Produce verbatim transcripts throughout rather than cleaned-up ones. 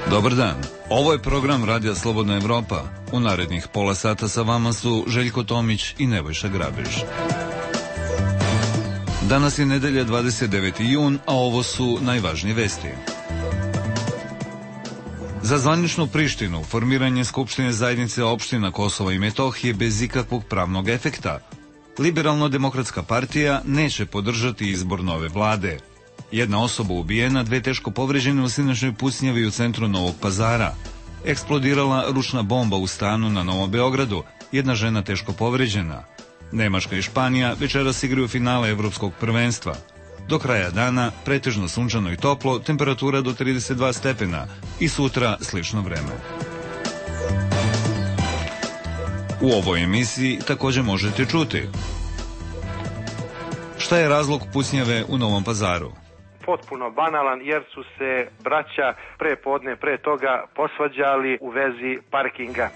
Dobar dan, ovo je program Radija Slobodna Evropa. U narednih pola sata sa vama su Željko Tomić i Nebojša Grabež. Danas je nedelja dvadeset deveti jun, a ovo su najvažnije vesti. Za zvaničnu Prištinu formiranje Skupštine zajednice opština Kosova i Metohije bez ikakvog pravnog efekta. Liberalno-demokratska partija neće podržati izbor nove vlade. Jedna osoba ubijena, dve teško povređene u sinoćnoj pucnjavi u centru Novog Pazara. Eksplodirala ručna bomba u stanu na Novom Beogradu, jedna žena teško povređena. Nemačka i Španija večeras igraju finale evropskog prvenstva. Do kraja dana pretežno sunčano i toplo, temperatura do trideset dva stepena i sutra slično vreme. U ovoj emisiji također možete čuti: šta je razlog pucnjave u Novom Pazaru? Potpuno banalan jer su se braća pre podne pre toga posvađali u vezi parkinga.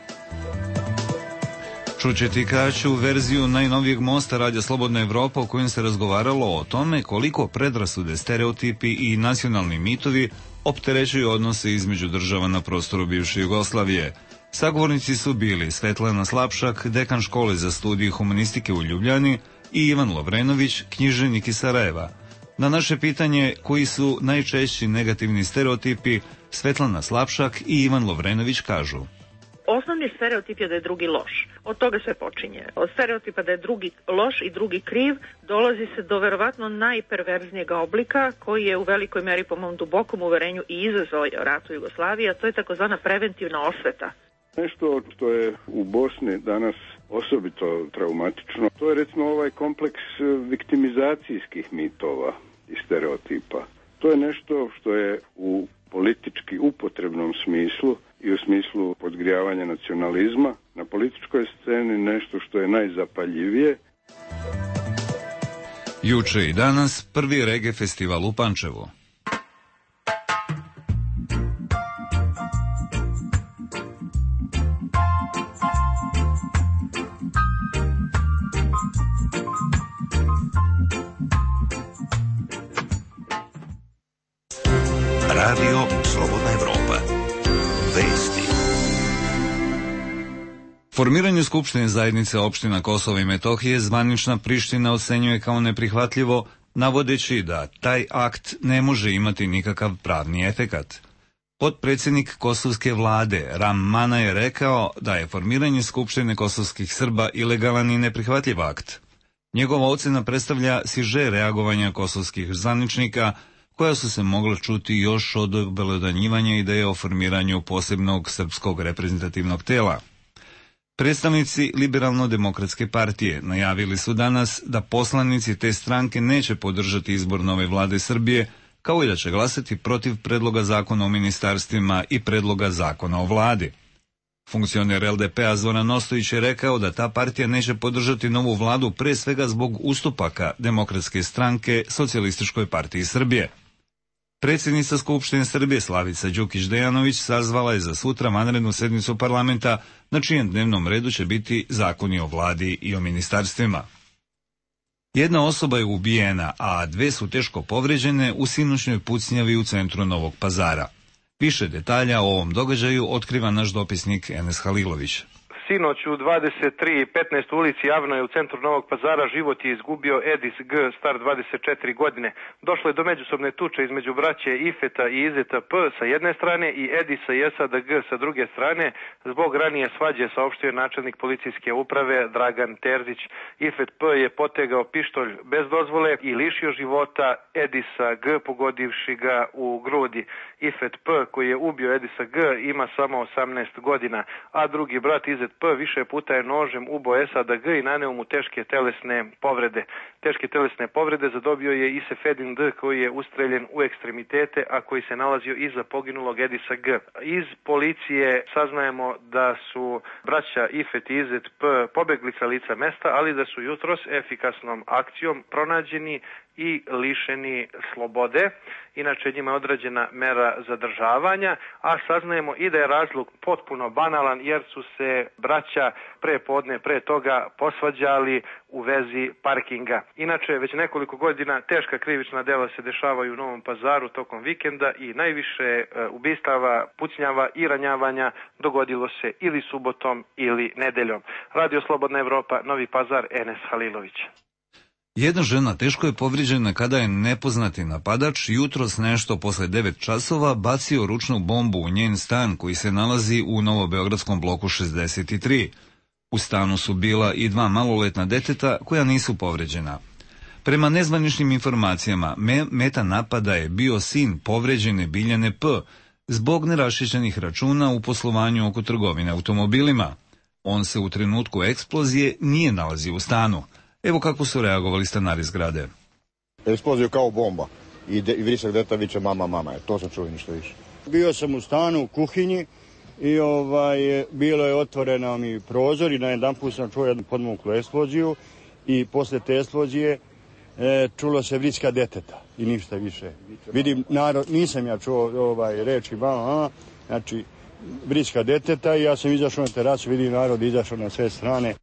Čućete kraću verziju najnovijeg mosta Radija Slobodna Evropa u kojem se razgovaralo o tome koliko predrasude, stereotipi i nacionalni mitovi opterećuju odnose između država na prostoru bivše Jugoslavije. Sagovornici su bili Svetlana Slapšak, dekan škole za studije humanistike u Ljubljani, i Ivan Lovrenović, književnik iz Sarajeva. Na naše pitanje koji su najčešći negativni stereotipi, Svetlana Slapšak i Ivan Lovrenović kažu: osnovni stereotip je da je drugi loš. Od toga sve počinje. Od stereotipa da je drugi loš i drugi kriv dolazi se do verovatno najperverznijeg oblika koji je u velikoj meri po mom dubokom uverenju i izazvao rat u Jugoslaviji, a to je takozvana preventivna osveta. Nešto što je u Bosni danas osobito traumatično, to je recimo ovaj kompleks viktimizacijskih mitova i stereotipa. To je nešto što je u politički upotrebnom smislu i u smislu podgrijavanja nacionalizma na političkoj sceni nešto što je najzapaljivije. Juče i danas prvi reggae festival u Pančevu. Radio Slobodna Evropa. Vesti. Formiranje Skupštine zajednice opština Kosova i Metohije zvanična Priština ocenjuje kao neprihvatljivo, navodeći da taj akt ne može imati nikakav pravni efekat. Potpredsjednik kosovske vlade Ram Mana je rekao da je formiranje Skupštine kosovskih Srba ilegalan i neprihvatljiv akt. Njegova ocena predstavlja siže reagovanja kosovskih zvaničnika, koja su se mogla čuti još od obelodanjivanja ideje o formiranju posebnog srpskog reprezentativnog tela. Predstavnici Liberalno-demokratske partije najavili su danas da poslanici te stranke neće podržati izbor nove vlade Srbije, kao i da će glasati protiv predloga zakona o ministarstvima i predloga zakona o vladi. Funkcioner el de pe-a Zoran Ostojić je rekao da ta partija neće podržati novu vladu pre svega zbog ustupaka Demokratske stranke Socijalističkoj partiji Srbije. Predsjednica Skupštine Srbije Slavica Đukić Dejanović sazvala je za sutra vanrednu sednicu parlamenta, na čijem dnevnom redu će biti zakoni o vladi i o ministarstvima. Jedna osoba je ubijena, a dve su teško povređene u sinoćnoj pucnjavi u centru Novog Pazara. Više detalja o ovom događaju otkriva naš dopisnik Enes Halilović. Sinoć u dvadeset tri i petnaest ulici Javnoj u centru Novog Pazara život je izgubio Edis G, star dvadeset četiri godine. Došlo je do međusobne tuče između braće Ifeta i Izeta P sa jedne strane i Edisa i Esada G sa druge strane. Zbog ranije svađe saopštio je načelnik policijske uprave Dragan Terzić. Ifet P je potegao pištolj bez dozvole i lišio života Edisa G, pogodivši ga u grudi. Ifet P, koji je ubio Edisa G, ima samo osamnaest godina, a drugi brat Izet P više puta je nožem ubo Esada G i naneo mu teške telesne povrede. Teške telesne povrede zadobio je i Sefedin D, koji je ustreljen u ekstremitete, a koji se nalazio iza poginulog Edisa G. Iz policije saznajemo da su braća Ifet i Izet P pobegli sa lica mesta, ali da su jutros efikasnom akcijom pronađeni i lišeni slobode. Inače njima je određena mera zadržavanja, a saznajemo i da je razlog potpuno banalan jer su se braća braća pre podne, pre toga posvađali u vezi parkinga. Inače, već nekoliko godina teška krivična dela se dešavaju u Novom Pazaru tokom vikenda i najviše ubistava, pucnjava i ranjavanja dogodilo se ili subotom ili nedeljom. Radio Slobodna Evropa, Novi Pazar, Enes Halilović. Jedna žena teško je povrijeđena kada je nepoznati napadač jutros nešto posle devet časova bacio ručnu bombu u njen stan koji se nalazi u novobeogradskom bloku šezdeset tri. U stanu su bila i dva maloletna deteta koja nisu povrijeđena. Prema nezvaničnim informacijama, me, meta napada je bio sin povrijeđene Biljane P. zbog neraščišćenih računa u poslovanju oko trgovine automobilima. On se u trenutku eksplozije nije nalazio u stanu. Evo kako su reagovali stanari zgrade. Eksploziju kao bomba i, de, i vrisak deta viče mama, mama. To sam čuo ništa više. Bio sam u stanu u kuhinji i ovaj, bilo je otvoreno mi prozor i na jedan put sam čuo jednu podmuklu eksploziju i posle te eksplozije e, čulo se vriska deteta i ništa više. Vidim, narod, nisam ja čuo ovaj, reči mama, znači vriska deteta i ja sam izašao na terasu, vidim narod izašao na sve strane.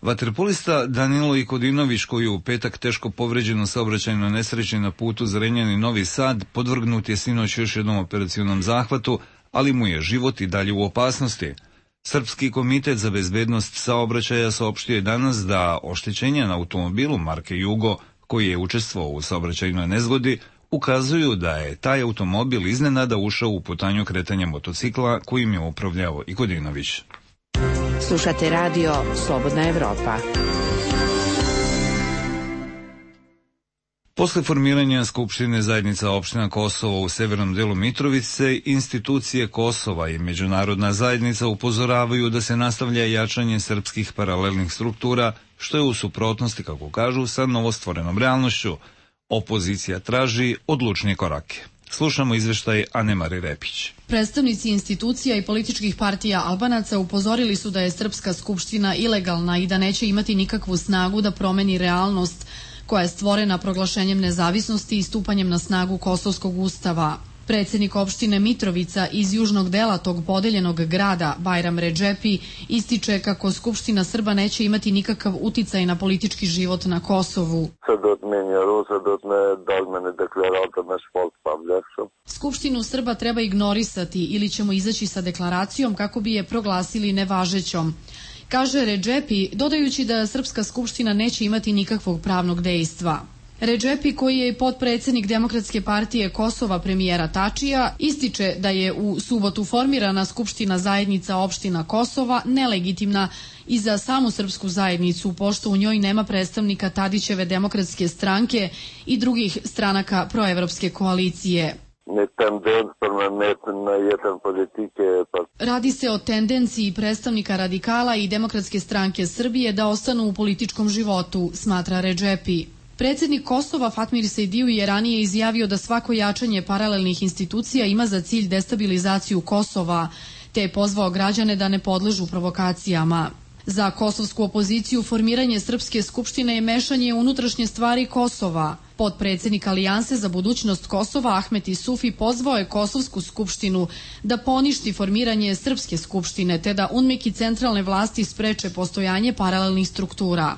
Vaterpolista Danilo Ikodinović, koji je u petak teško povređen u saobraćajnoj nesreći na putu Zrenjanin-Novi Sad, podvrgnut je sinoć još jednom operacionom zahvatu, ali mu je život i dalje u opasnosti. Srpski komitet za bezbednost saobraćaja saopštio je danas da oštećenja na automobilu marke Jugo, koji je učestvovao u saobraćajnoj nezgodi, ukazuju da je taj automobil iznenada ušao u putanju kretanja motocikla kojim je upravljao Ikodinović. Slušate radio Slobodna Evropa. Posle formiranja Skupštine zajednica opština Kosovo u severnom delu Mitrovice, institucije Kosova i međunarodna zajednica upozoravaju da se nastavlja jačanje srpskih paralelnih struktura, što je u suprotnosti, kako kažu, sa novostvorenom realnošću. Opozicija traži odlučnije korake. Slušamo izveštaj Anemari Repić. Predstavnici institucija i političkih partija Albanaca upozorili su da je Srpska skupština ilegalna i da neće imati nikakvu snagu da promeni realnost koja je stvorena proglašenjem nezavisnosti i stupanjem na snagu Kosovskog ustava. Predsjednik opštine Mitrovica iz južnog dela tog podeljenog grada, Bajram Redžepi, ističe kako Skupština Srba neće imati nikakav uticaj na politički život na Kosovu. Skupštinu Srba treba ignorisati ili ćemo izaći sa deklaracijom kako bi je proglasili nevažećom, kaže Redžepi, dodajući da Srpska skupština neće imati nikakvog pravnog dejstva. Redžepi, koji je i potpredsjednik Demokratske partije Kosova premijera Tačija, ističe da je u subotu formirana Skupština zajednica opština Kosova nelegitimna i za samu srpsku zajednicu, pošto u njoj nema predstavnika Tadićeve Demokratske stranke i drugih stranaka proevropske koalicije. Radi se o tendenciji predstavnika radikala i Demokratske stranke Srbije da ostanu u političkom životu, smatra Redžepi. Predsjednik Kosova Fatmir Sejdiju je ranije izjavio da svako jačanje paralelnih institucija ima za cilj destabilizaciju Kosova, te je pozvao građane da ne podležu provokacijama. Za kosovsku opoziciju formiranje Srpske skupštine je mešanje unutrašnje stvari Kosova. Potpredsjednik Alijanse za budućnost Kosova Ahmet Isufi pozvao je Kosovsku skupštinu da poništi formiranje Srpske skupštine te da UNMIK i centralne vlasti spreče postojanje paralelnih struktura.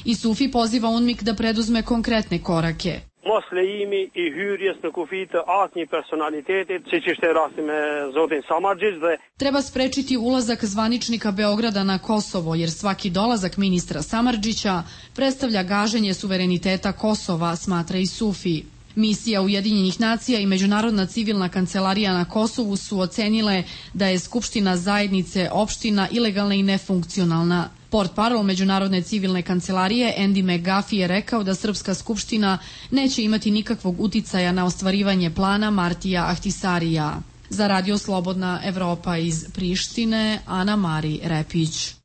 Isufi poziva UNMIK da preduzme konkretne korake. Mos lejimi i hyrjes në kufi të asnjë personalitetit, siç ishte rasti me zotin Samardžić dhe treba sprečiti ulazak zvaničnika Beograda na Kosovo, jer svaki dolazak ministra Samardžića predstavlja gaženje suvereniteta Kosova, smatra Isufi. Misija Ujedinjenih nacija i Međunarodna civilna kancelarija na Kosovu su ocenile da je Skupština zajednice opština ilegalna i nefunkcionalna. Portparol Međunarodne civilne kancelarije Andy McGuffey je rekao da Srpska skupština neće imati nikakvog uticaja na ostvarivanje plana Martija Ahtisarija. Za Radio Slobodna Evropa iz Prištine, Ana Mari Repić.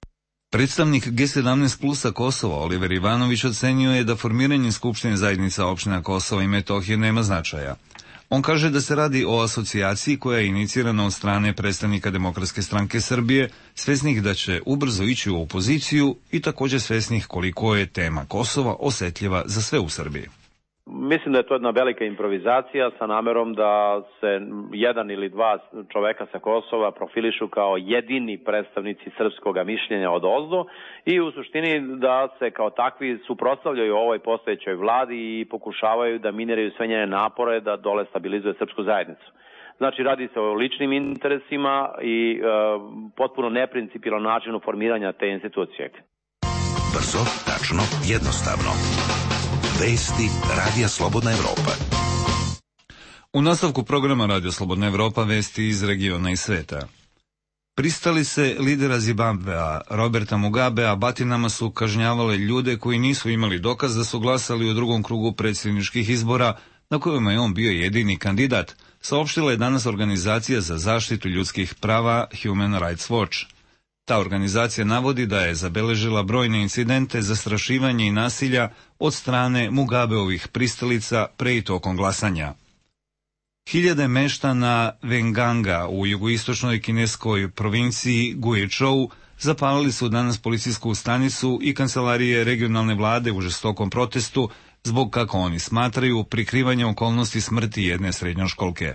Predstavnik G sedamnaest plusa Kosova Oliver Ivanović ocenio je da formiranje Skupštine zajednica opština Kosova i Metohije nema značaja. On kaže da se radi o asocijaciji koja je inicirana od strane predstavnika Demokratske stranke Srbije, svesnih da će ubrzo ići u opoziciju i također svesnih koliko je tema Kosova osetljiva za sve u Srbiji. Mislim da je to jedna velika improvizacija sa namerom da se jedan ili dva čoveka sa Kosova profilišu kao jedini predstavnici srpskog mišljenja od ozdo i u suštini da se kao takvi suprotstavljaju ovoj postojećoj vladi i pokušavaju da miniraju sve njene napore da dole stabilizuje srpsku zajednicu. Znači, radi se o ličnim interesima i e, potpuno neprincipijelan načinu formiranja te institucije. Brzo, tačno, jednostavno. Vesti Radija Slobodna Evropa. U nastavku programa Radio Slobodna Evropa vesti iz regiona i sveta. Pristali se lidera Zimbabvea Roberta Mugabea batinama su kažnjavale ljude koji nisu imali dokaz da su glasali u drugom krugu predsjedničkih izbora na kojima je on bio jedini kandidat, saopštila je danas organizacija za zaštitu ljudskih prava Human Rights Watch. Ta organizacija navodi da je zabeležila brojne incidente, zastrašivanja i nasilja od strane Mugabeovih pristalica pre i tokom glasanja. Hiljade meštana Venganga u jugoistočnoj kineskoj provinciji Guizhou zapalili su danas policijsku stanicu i kancelarije regionalne vlade u žestokom protestu zbog, kako oni smatraju, prikrivanja okolnosti smrti jedne srednjoškolke.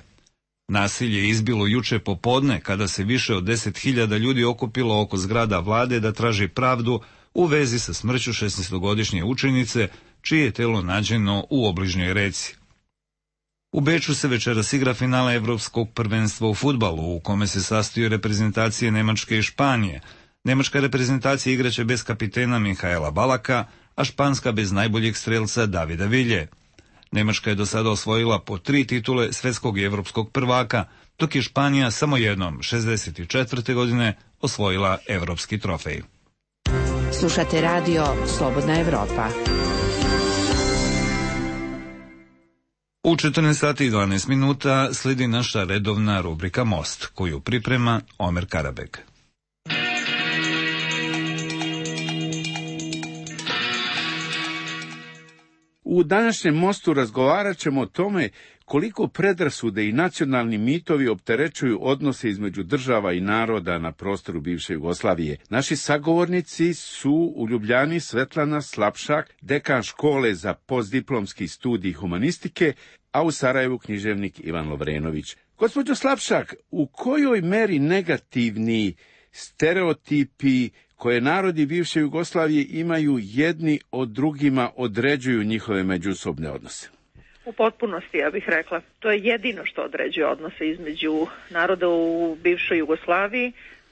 Nasilje je izbilo juče popodne kada se više od deset hiljada ljudi okupilo oko zgrada vlade da traži pravdu u vezi sa smrću šesnaestogodišnje učenice, čije je telo nađeno u obližnjoj reci. U Beču se večeras igra finala Evropskog prvenstva u fudbalu, u kome se sastoje reprezentacije Nemačke i Španije. Nemačka reprezentacija igraće bez kapitena Mihaela Balaka, a španska bez najboljeg strelca Davida Vilje. Nemačka je do sada osvojila po tri titule svetskog i evropskog prvaka, dok je Španija samo jednom, šezdeset četvrte godine, osvojila evropski trofej. Slušate radio Slobodna Evropa. U četrnaest sati i dvanaest minuta slijedi naša redovna rubrika Most, koju priprema Omer Karabek. U današnjem Mostu razgovarat ćemo o tome koliko predrasude i nacionalni mitovi opterećuju odnose između država i naroda na prostoru bivše Jugoslavije. Naši sagovornici su u Ljubljani Svetlana Slapšak, dekan škole za postdiplomski studij humanistike, a u Sarajevu književnik Ivan Lovrenović. Gospođo Slapšak, u kojoj meri negativni stereotipi koje narodi bivše Jugoslavije imaju jedni od drugima određuju njihove međusobne odnose? U potpunosti, ja bih rekla. To je jedino što određuje odnose između naroda u bivšoj Jugoslaviji.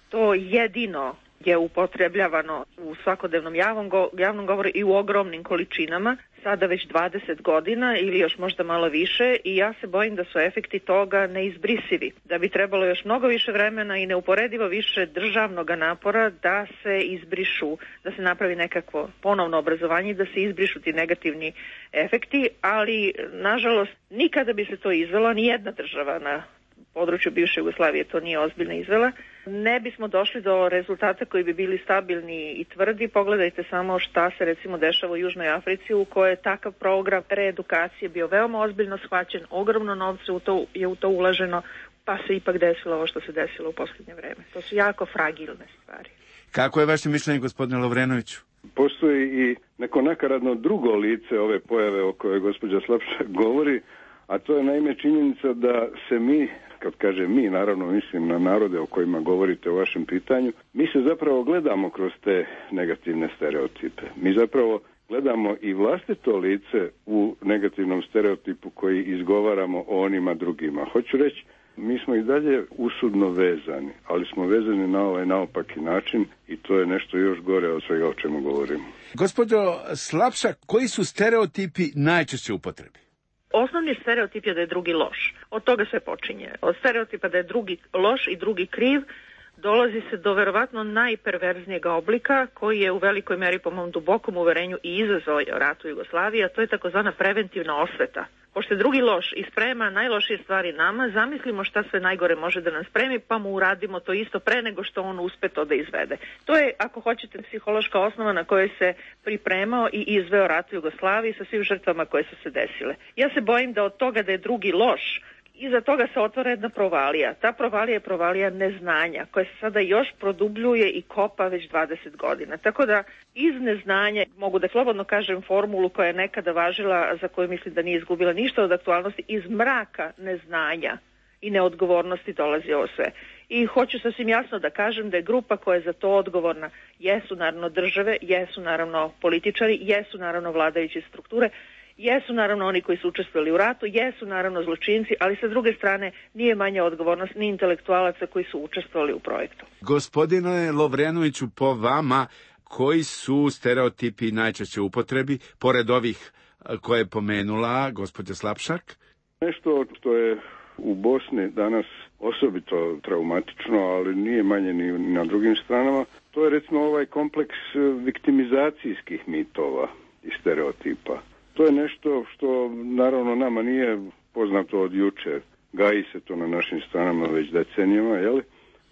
To jedino je upotrebljavano u svakodnevnom javnom, go, javnom govoru i u ogromnim količinama, sada već dvadeset godina ili još možda malo više, i ja se bojim da su efekti toga neizbrisivi. Da bi trebalo još mnogo više vremena i neuporedivo više državnog napora da se izbrišu, da se napravi nekakvo ponovno obrazovanje i da se izbrišu ti negativni efekti, ali nažalost nikada bi se to izvelo, ni jedna država na području bivše Jugoslavije to nije ozbiljno izvela, ne bismo došli do rezultata koji bi bili stabilni i tvrdi. Pogledajte samo šta se recimo dešava u Južnoj Africi, u kojoj je takav program reedukacije bio veoma ozbiljno shvaćen, ogromno novca u to, je u to ulaženo, pa se ipak desilo ovo što se desilo u posljednje vreme. To su jako fragilne stvari. Kako je vaše mišljenje, gospodine Lovrenoviću? Postoji i neko nakaradno drugo lice ove pojave o kojoj gospođa Slapšak govori, a to je naime činjenica da se mi, kad kaže mi, naravno mislim na narode o kojima govorite u vašem pitanju, mi se zapravo gledamo kroz te negativne stereotipe. Mi zapravo gledamo i vlastito lice u negativnom stereotipu koji izgovaramo o onima drugima. Hoću reći, mi smo i dalje usudno vezani, ali smo vezani na ovaj naopaki način i to je nešto još gore od svega o čemu govorimo. Gospođo Slapšak, koji su stereotipi najčešće upotrebi? Osnovni stereotip je da je drugi loš. Od toga sve počinje. Od stereotipa da je drugi loš i drugi kriv dolazi se do verovatno najperverznijeg oblika koji je u velikoj meri po mom dubokom uverenju i izazvao rat u Jugoslaviji, a to je takozvana preventivna osveta. Pošto je drugi loš i sprema najlošije stvari nama, zamislimo šta sve najgore može da nam spremi, pa mu uradimo to isto pre nego što on uspe to da izvede. To je, ako hoćete, psihološka osnova na kojoj se pripremao i izveo rat u Jugoslaviji sa svim žrtvama koje su se desile. Ja se bojim da od toga da je drugi loš Iza toga se otvara jedna provalija. Ta provalija je provalija neznanja, koja se sada još produbljuje i kopa već dvadeset godina. Tako da iz neznanja, mogu da slobodno kažem formulu koja je nekada važila, za koju mislim da nije izgubila ništa od aktualnosti, iz mraka neznanja i neodgovornosti dolazi ovo sve. I hoću sasvim jasno da kažem da je grupa koja je za to odgovorna, jesu naravno države, jesu naravno političari, jesu naravno vladajuće strukture, jesu naravno oni koji su učestvovali u ratu, jesu naravno zločinci, ali sa druge strane nije manja odgovornost ni intelektualaca koji su učestvovali u projektu. Gospodine Lovrenoviću, po vama, koji su stereotipi najčešće u upotrebi, pored ovih koje je pomenula gospođa Slapšak? Nešto što je u Bosni danas osobito traumatično, ali nije manje ni na drugim stranama, to je recimo ovaj kompleks viktimizacijskih mitova i stereotipa. To je nešto što naravno nama nije poznato od jučer. Gaji se to na našim stranama već decenijama, jel?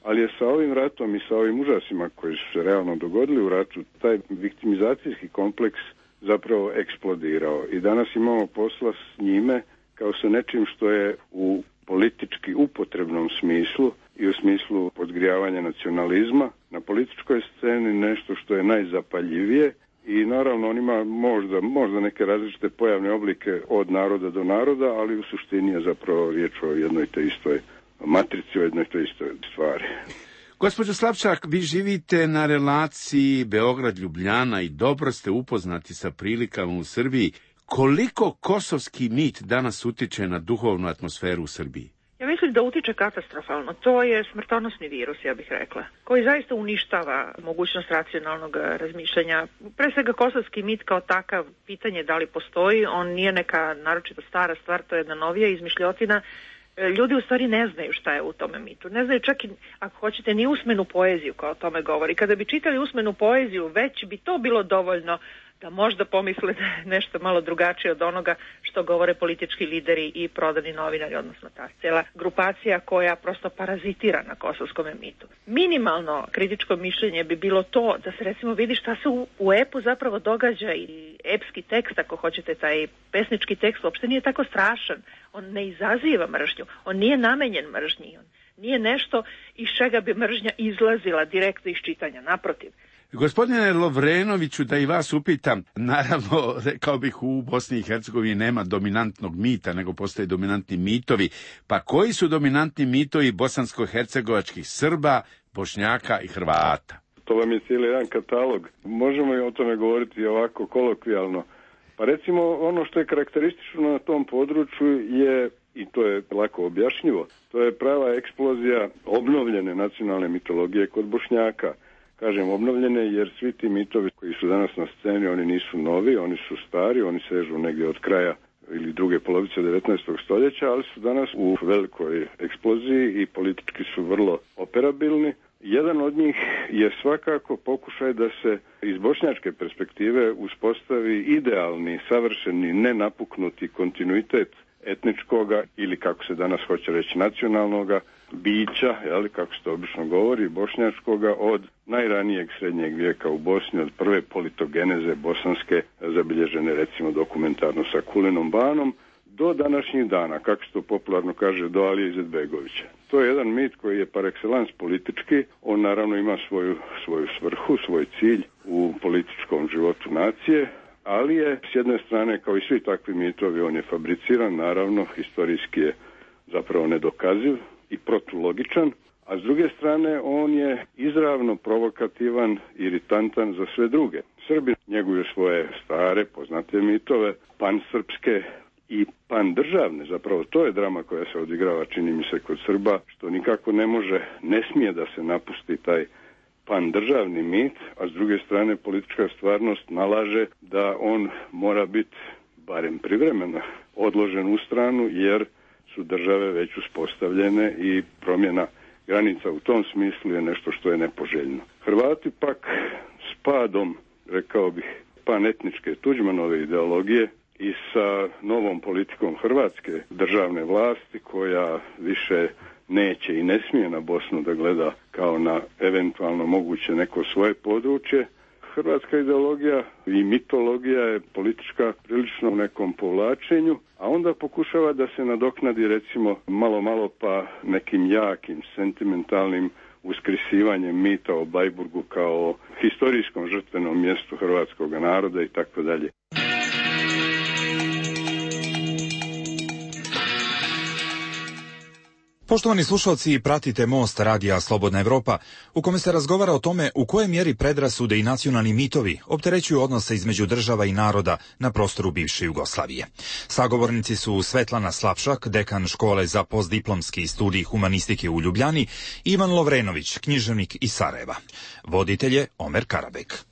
Ali je sa ovim ratom i sa ovim užasima koji su se realno dogodili u ratu, taj viktimizacijski kompleks zapravo eksplodirao. I danas imamo posla s njime kao sa nečim što je u politički upotrebnom smislu i u smislu podgrijavanja nacionalizma na političkoj sceni nešto što je najzapaljivije. I naravno on ima možda, možda neke različite pojavne oblike od naroda do naroda, ali u suštini je zapravo riječ o jednoj te istoj matrici, o jednoj te istoj stvari. Gospođo Slapšak, vi živite na relaciji Beograd-Ljubljana i dobro ste upoznati sa prilikama u Srbiji. Koliko kosovski mit danas utiče na duhovnu atmosferu u Srbiji? Ja mislim da utiče katastrofalno. To je smrtonosni virus, ja bih rekla, koji zaista uništava mogućnost racionalnog razmišljanja. Pre svega kosovski mit kao takav, pitanje da li postoji, on nije neka naročito stara stvar, to je jedna novija izmišljotina. Ljudi u stvari ne znaju šta je u tome mitu. Ne znaju čak i, ako hoćete, ni usmenu poeziju koja o tome govori. Kada bi čitali usmenu poeziju, već bi to bilo dovoljno da možda pomisle da je nešto malo drugačije od onoga što govore politički lideri i prodani novinari, odnosno ta cijela grupacija koja prosto parazitira na kosovskom mitu. Minimalno kritičko mišljenje bi bilo to da se recimo vidi šta se u, u epu zapravo događa i epski tekst, ako hoćete, taj pesnički tekst uopšte nije tako strašan. On ne izaziva mržnju, on nije namenjen mržnji, on nije nešto iz čega bi mržnja izlazila direktno iz čitanja, naprotiv. Gospodine Lovrenoviću, da i vas upitam, naravno, rekao bih, u Bosni i Hercegovini nema dominantnog mita, nego postoje dominantni mitovi. Pa koji su dominantni mitovi bosansko-hercegovačkih Srba, Bošnjaka i Hrvata? To vam je cijeli jedan katalog. Možemo i o tome govoriti ovako kolokvijalno. Pa recimo, ono što je karakteristično na tom području je, i to je lako objašnjivo, to je prava eksplozija obnovljene nacionalne mitologije kod Bošnjaka. Kažem obnovljene jer svi ti mitovi koji su danas na sceni, oni nisu novi, oni su stari, oni sežu negdje od kraja ili druge polovice devetnaestog stoljeća, ali su danas u velikoj eksploziji i politički su vrlo operabilni. Jedan od njih je svakako pokušaj da se iz bošnjačke perspektive uspostavi idealni, savršeni, nenapuknuti kontinuitet etničkoga ili, kako se danas hoće reći, nacionalnoga bića, jeli, kako se to obično govori, bošnjačkoga, od najranijeg srednjeg vijeka u Bosni, od prve politogeneze bosanske, zabilježene recimo dokumentarno sa Kulinom Banom, do današnjih dana, kako se to popularno kaže, do Alije Izetbegovića. To je jedan mit koji je par excellence politički, on naravno ima svoju, svoju svrhu, svoj cilj u političkom životu nacije, ali je s jedne strane, kao i svi takvi mitovi, on je fabriciran, naravno, historijski je zapravo nedokaziv i protulogičan, a s druge strane on je izravno provokativan, iritantan za sve druge. Srbi njeguju svoje stare, poznate mitove, pansrpske i pandržavne, zapravo to je drama koja se odigrava, čini mi se, kod Srba, što nikako ne može, ne smije da se napusti taj pandržavni mit, a s druge strane politička stvarnost nalaže da on mora biti, barem privremeno, odložen u stranu, jer su države već uspostavljene i promjena granica u tom smislu je nešto što je nepoželjno. Hrvati pak s padom, rekao bih, panetničke Tuđmanove ideologije i sa novom politikom hrvatske državne vlasti, koja više neće i ne smije na Bosnu da gleda kao na eventualno moguće neko svoje područje, hrvatska ideologija i mitologija je politička prilično u nekom povlačenju, a onda pokušava da se nadoknadi recimo malo malo pa nekim jakim, sentimentalnim uskrisivanjem mita o Bleiburgu kao historijskom žrtvenom mjestu hrvatskog naroda i tako dalje. Poštovani slušalci, pratite Most radija Slobodna Evropa, u kome se razgovara o tome u kojoj mjeri predrasude i nacionalni mitovi opterećuju odnose između država i naroda na prostoru bivše Jugoslavije. Sagovornici su Svetlana Slapšak, dekan škole za postdiplomski studij humanistike u Ljubljani, i Ivan Lovrenović, književnik iz Sarajeva. Voditelj je Omer Karabek.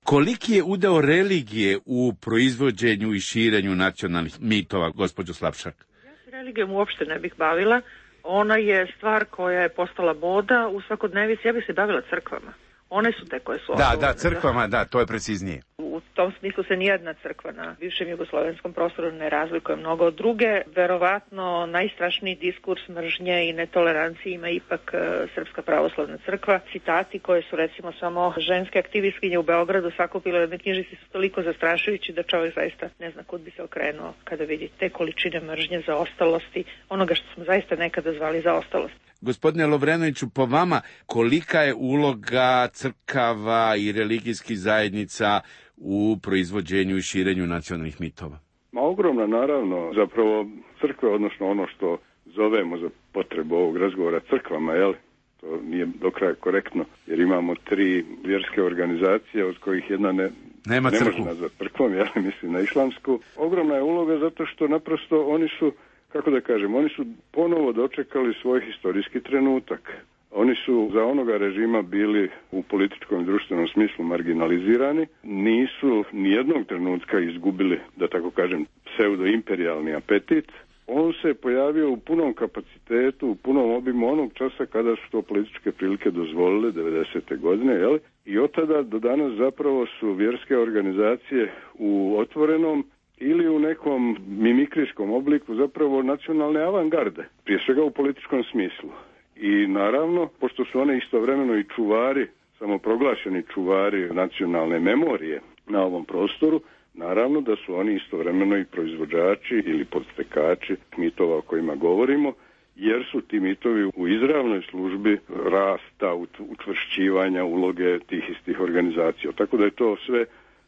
Koliki je udeo religije u proizvođenju i širenju nacionalnih mitova, gospođo Slapšak? Ja se religijom uopšte ne bih bavila. Ona je stvar koja je postala moda u svakodnevici. Ja bih se bavila crkvama. One su te koje su... Da, da, crkvama, da, to je preciznije. U tom smislu se nijedna crkva na bivšem jugoslovenskom prostoru ne razlikuje mnogo od druge. Verovatno najstrašniji diskurs mržnje i netolerancije ima ipak uh, Srpska pravoslavna crkva. Citati koje su recimo samo ženske aktivistkinje u Beogradu sakupile u jednoj knjižici su toliko zastrašujući da čovjek zaista ne zna kud bi se okrenuo kada vidi te količine mržnje, zaostalosti, onoga što smo zaista nekada zvali zaostalost. Gospodine Lovrenoviću, po vama kolika je uloga crkava i religijskih zajednica u proizvođenju i širenju nacionalnih mitova? Ma ogromna, naravno. Zapravo crkve, odnosno ono što zovemo za potrebu ovog razgovora crkvama, jel? To nije do kraja korektno, jer imamo tri vjerske organizacije, od kojih jedna ne, Nema ne crkvu. može nazvat crkvom, jel? Mislim na islamsku. Ogromna je uloga zato što naprosto oni su, kako da kažem, oni su ponovo dočekali svoj historijski trenutak. Oni su za onoga režima bili u političkom i društvenom smislu marginalizirani, nisu nijednog trenutka izgubili, da tako kažem, pseudo-imperijalni apetit. On se pojavio u punom kapacitetu, u punom obimu onog časa kada su to političke prilike dozvolile, devedesete godine, jel? I od tada do danas zapravo su vjerske organizacije u otvorenom ili u nekom mimikrijskom obliku zapravo nacionalne avangarde, prije svega u političkom smislu. I naravno, pošto su one istovremeno i čuvari, samoproglašeni čuvari nacionalne memorije na ovom prostoru, naravno da su oni istovremeno i proizvođači ili podstekači mitova o kojima govorimo, jer su ti mitovi u izravnoj službi rasta, učvršćivanja uloge tih istih organizacija. Tako da je to sve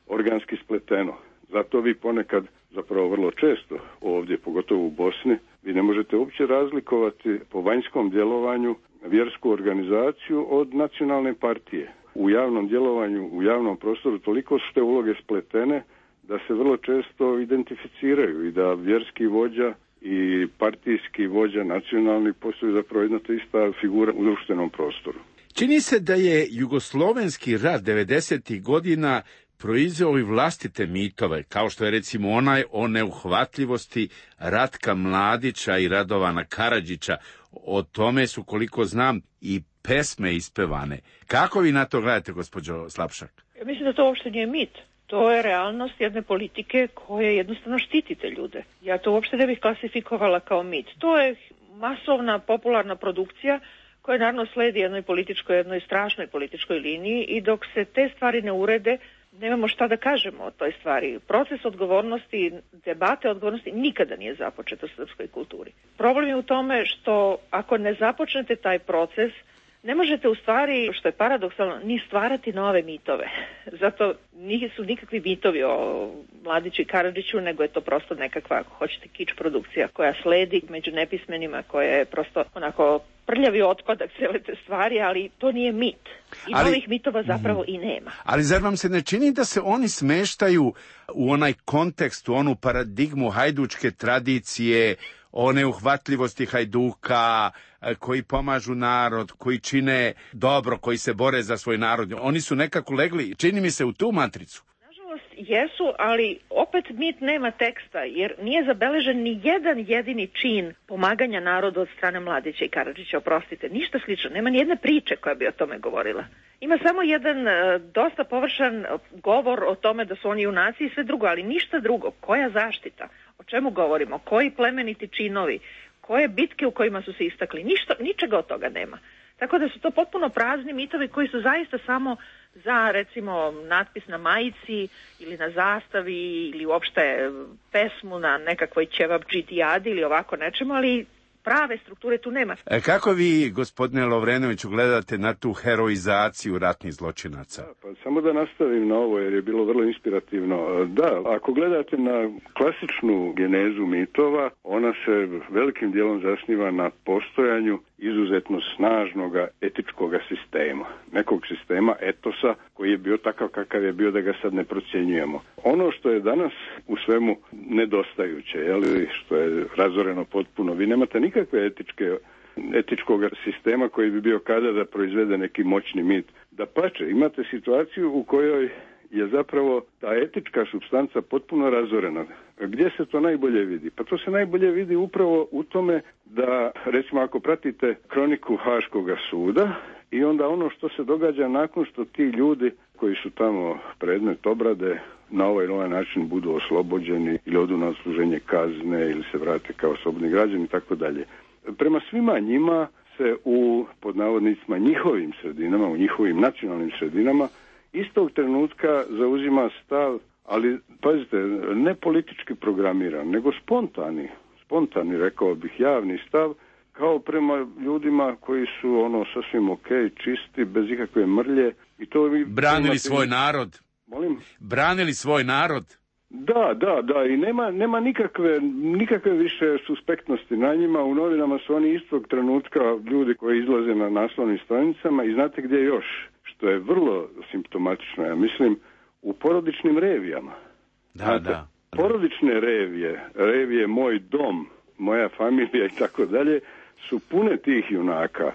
organski spleteno. Zato vi ponekad, zapravo vrlo često ovdje, pogotovo u Bosni, vi ne možete uopće razlikovati po vanjskom djelovanju vjersku organizaciju od nacionalne partije. U javnom djelovanju, u javnom prostoru toliko su te uloge spletene da se vrlo često identificiraju i da vjerski vođa i partijski vođa nacionalni postaju zapravo jedna te ista figura u društvenom prostoru. Čini se da je jugoslovenski rat devedesetih godina proizveo i vlastite mitove, kao što je recimo onaj o neuhvatljivosti Ratka Mladića i Radovana Karadžića. O tome su, koliko znam, i pesme ispevane. Kako vi na to gledate, gospođo Slapšak? Ja mislim da to uopšte nije mit. To je realnost jedne politike koja jednostavno štiti te ljude. Ja to uopšte ne bih klasifikovala kao mit. To je masovna, popularna produkcija koja naravno sledi jednoj političkoj, jednoj strašnoj političkoj liniji i dok se te stvari ne urede, nemamo šta da kažemo o toj stvari. Proces odgovornosti, debate odgovornosti nikada nije započet u srpskoj kulturi. Problem je u tome što ako ne započnete taj proces, ne možete u stvari, što je paradoksalno, ni stvarati nove mitove. Zato nisu nikakvi mitovi o Mladiću i Karadžiću, nego je to prosto nekakva, ako hoćete, kič produkcija koja sledi među nepismenima, koja je prosto onako prljavi otpadak cele te stvari, ali to nije mit. I ali, novih mitova zapravo mm, i nema. Ali zar vam se ne čini da se oni smeštaju u onaj kontekst, u onu paradigmu hajdučke tradicije, o neuhvatljivosti hajduka, koji pomažu narod, koji čine dobro, koji se bore za svoj narod? Oni su nekako legli, čini mi se, u tu matricu. Nažalost, jesu, ali opet mit nema teksta, jer nije zabeležen ni jedan jedini čin pomaganja narodu od strane Mladića i Karadžića, oprostite, ništa slično, nema ni jedne priče koja bi o tome govorila. Ima samo jedan uh, dosta površan govor o tome da su oni junaci i sve drugo, ali ništa drugo. Koja zaštita? O čemu govorimo? Koji plemeniti činovi? koje bitke u kojima su se istakli. Ništa, ničega od toga nema. Tako da su to potpuno prazni mitovi koji su zaista samo za, recimo, natpis na majici ili na zastavi ili uopšte pesmu na nekakvoj ćevabdžitijadi ili ovako nečemu, ali prave strukture tu nema. E, kako vi, gospodine Lovrenoviću, gledate na tu heroizaciju ratnih zločinaca? Da, pa samo da nastavim na ovo, jer je bilo vrlo inspirativno. Da, ako gledate na klasičnu genezu mitova, ona se velikim dijelom zasniva na postojanju izuzetno snažnog etičkog sistema. Nekog sistema etosa koji je bio takav kakav je bio, da ga sad ne procjenjujemo. Ono što je danas u svemu nedostajuće, jeli, što je razoreno potpuno, vi nemate nikakve etičke, etičkog sistema koji bi bio kada da proizvede neki moćni mit. Da pače, imate situaciju u kojoj je zapravo ta etička supstanca potpuno razorena. Gdje se to najbolje vidi? Pa to se najbolje vidi upravo u tome da, recimo, ako pratite kroniku Haškoga suda i onda ono što se događa nakon što ti ljudi koji su tamo predmet obrade na ovaj ili ovaj način budu oslobođeni ili odu na odsluženje kazne ili se vrate kao slobodni građani i tako dalje. Prema svima njima se u, pod navodnicima, njihovim sredinama, u njihovim nacionalnim sredinama istog trenutka zauzima stav, ali pazite, ne politički programiran, nego spontani, spontani, rekao bih, javni stav, kao prema ljudima koji su ono sasvim ok, čisti, bez ikakve mrlje. I to branili imate... svoj narod. Molim? Branili svoj narod. Da, da, da, i nema, nema nikakve, nikakve više suspektnosti na njima. U novinama su oni istog trenutka ljudi koji izlaze na naslovnim stranicama i znate gdje još, što je vrlo simptomatično, ja mislim, u porodičnim revijama. Da, znate, da. porodične revije, revije Moj dom, Moja familija i tako dalje, su pune tih junaka.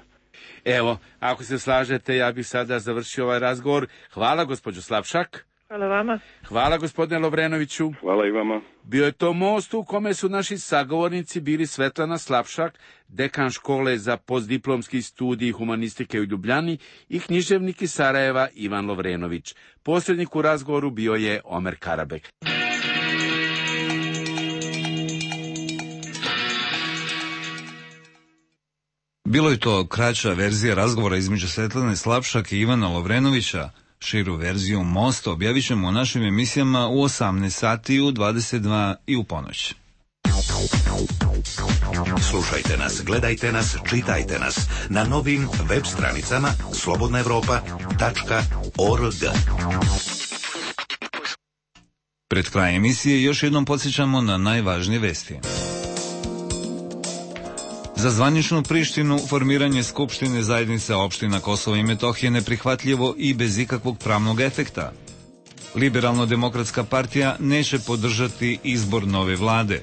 Evo, ako se slažete, ja bih sada završio ovaj razgovor. Hvala, gospođo Slapšak. Hvala vama. Hvala, gospodine Lovrenoviću. Hvala i vama. Bio je to most u kome su naši sagovornici bili Svetlana Slapšak, dekan škole za postdiplomski studij humanistike u Ljubljani, i književnik iz Sarajeva Ivan Lovrenović. Posrednik u razgovoru bio je Omer Karabek. Bilo je to kraća verzija razgovora između Svetlane Slapšak i Ivana Lovrenovića. Širu verziju Mosta objavit ćemo u našim emisijama u osamnaest sati, u dvadeset dva i u ponoć. Slušajte nas, gledajte nas, čitajte nas na novim web stranicama slobodna evropa tačka org. Pred kraj emisije još jednom podsjećamo na najvažnije vesti. Za zvaničnu Prištinu formiranje Skupštine zajednice opština Kosova i Metohije neprihvatljivo i bez ikakvog pravnog efekta. Liberalno-demokratska partija neće podržati izbor nove vlade.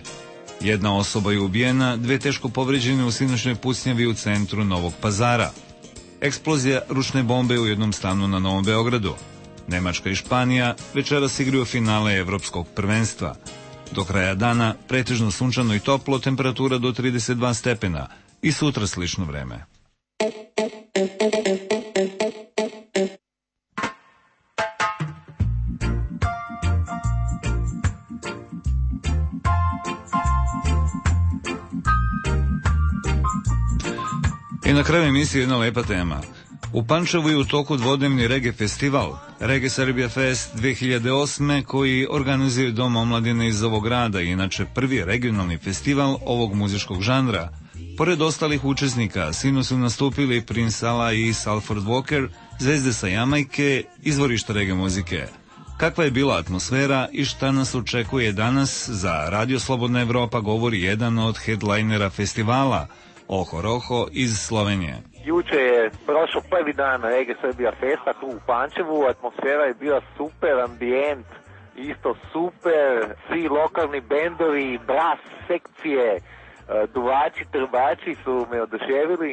Jedna osoba je ubijena, dve teško povređene u sinoćnoj pucnjavi u centru Novog Pazara. Eksplozija ručne bombe u jednom stanu na Novom Beogradu. Nemačka i Španija večeras igraju finale Evropskog prvenstva. Do kraja dana pretežno sunčano i toplo, temperatura do trideset dva stepena i sutra slično vreme. I na kraju emisije jedna lepa tema. U Pančevu je u toku dvodnevni reggae festival, Reggae Serbia Fest dve hiljade osme, koji organizuje Dom omladine iz ovog grada, inače prvi regionalni festival ovog muzičkog žanra. Pored ostalih učesnika, sinu su nastupili Prince Allah i Salford Walker, zvezde sa Jamajke, izvorišta reggae muzike. Kakva je bila atmosfera i šta nas očekuje danas, za Radio Slobodna Evropa govori jedan od headlinera festivala, Oho Roho iz Slovenije. Juče je prošao prvi dan Reggae Serbia Festa tu u Pančevu, atmosfera je bila super, ambijent isto super, svi lokalni bendovi, bras sekcije, duvači, trbači su me oduševili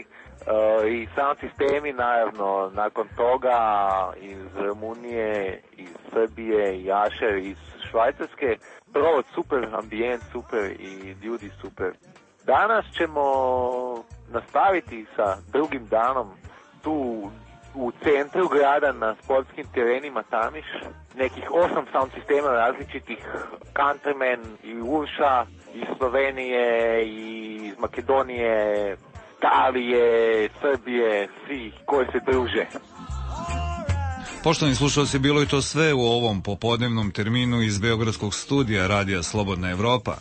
i sound sistemi naravno nakon toga iz Rumunije, iz Srbije i Ašer iz Švajcarske. Brod super, ambijent super i ljudi super. Danas ćemo nastaviti sa drugim danom tu u centru grada na sportskim terenima Tamiš. Nekih osam sound sistema različitih, Countryman i Urša iz Slovenije i iz Makedonije, Italije, Srbije, svi koji se druže. Poštovani slušalci, bilo je to sve u ovom popodnevnom terminu iz Beogradskog studija Radija Slobodna Evropa.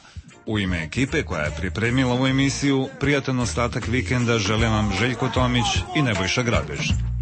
U ime ekipe koja je pripremila ovu emisiju, prijatan ostatak vikenda žele vam Željko Tomić i Nebojša Grabež.